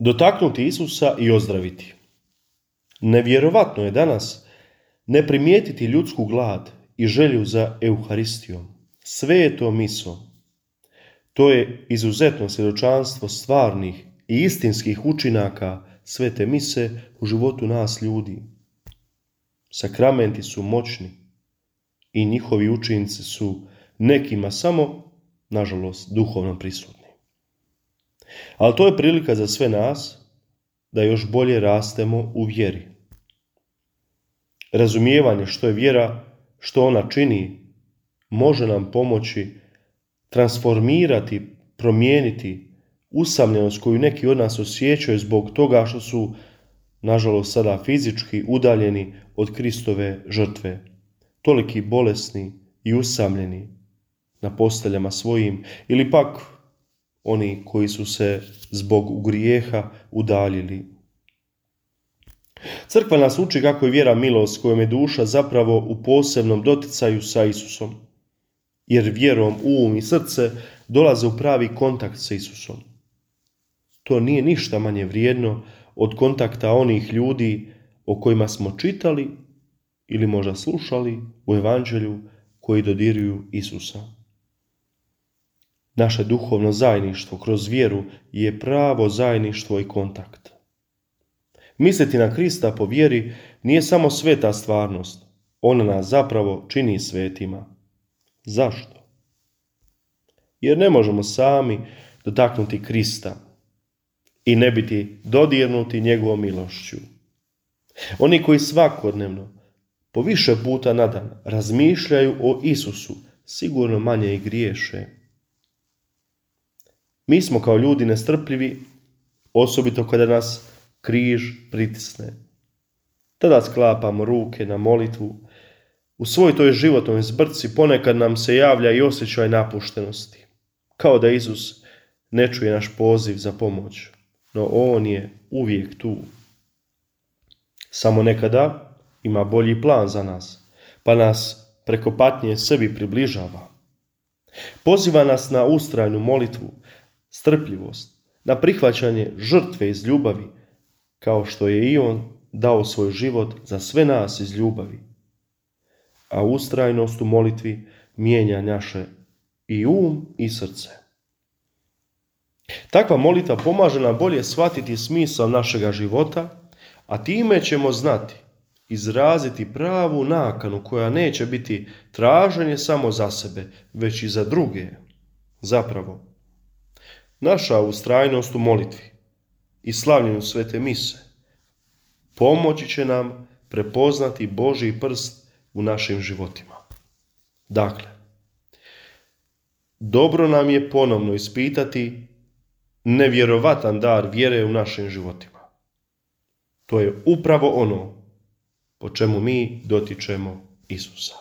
dotaknuti Isusa i ozdraviti. Nevjerovatno je danas ne primijetiti ljudsku glad i želju za Euharistijom, svetom misom. To je izuzetno svjedočanstvo stvarnih i istinskih učinaka svete mise u životu nas ljudi. Sakramenti su moćni i njihovi učinci su nekima samo, nažalost, duhovno prisutni. Ali to je prilika za sve nas da još bolje rastemo u vjeri. Razumijevanje što je vjera, što ona čini, može nam pomoći transformirati, promijeniti usamljenost koju neki od nas osjećaju zbog toga što su, nažalost, sada fizički udaljeni od Kristove žrtve, toliki bolesni i usamljeni na posteljama svojim, ili pak oni koji su se zbog grijeha udaljili. Crkva nas uči kako je vjera milost kojom je duša zapravo u posebnom doticaju sa Isusom, jer vjerom um i srce dolaze u pravi kontakt sa Isusom. To nije ništa manje vrijedno od kontakta onih ljudi o kojima smo čitali ili možda slušali u Evanđelju koji dodiruju Isusa. Naše duhovno zajedništvo kroz vjeru je pravo zajedništvo i kontakt. Misliti na Krista po vjeri nije samo sveta stvarnost, ona nas zapravo čini svetima. Zašto? Jer ne možemo sami dotaknuti Krista i ne biti dodirnuti njegovom milošću. Oni koji svakodnevno, po više puta na dan, razmišljaju o Isusu, sigurno manje i griješe. Mi smo kao ljudi nestrpljivi, osobito kada nas križ pritisne. Tada sklapamo ruke na molitvu. U svoj toj životnoj zbrci ponekad nam se javlja i osjećaj napuštenosti, kao da Isus ne čuje naš poziv za pomoć, no on je uvijek tu. Samo nekada ima bolji plan za nas, pa nas preko patnje sebi približava. Poziva nas na ustrajnu molitvu, strpljivost, na prihvaćanje žrtve iz ljubavi, kao što je i on dao svoj život za sve nas iz ljubavi. A ustrajnost u molitvi mijenja naše i i srce. Takva molitva pomaže nam bolje shvatiti smisao našega života, a time ćemo znati izraziti pravu nakanu koja neće biti traženje samo za sebe, već i za druge. Zapravo, naša ustrajnost u molitvi i slavljenju svete mise pomoći će nam prepoznati Božji prst u našim životima. Dakle, dobro nam je ponovno ispitati nevjerovatan dar vjere u našim životima. To je upravo ono po čemu mi dotičemo Isusa.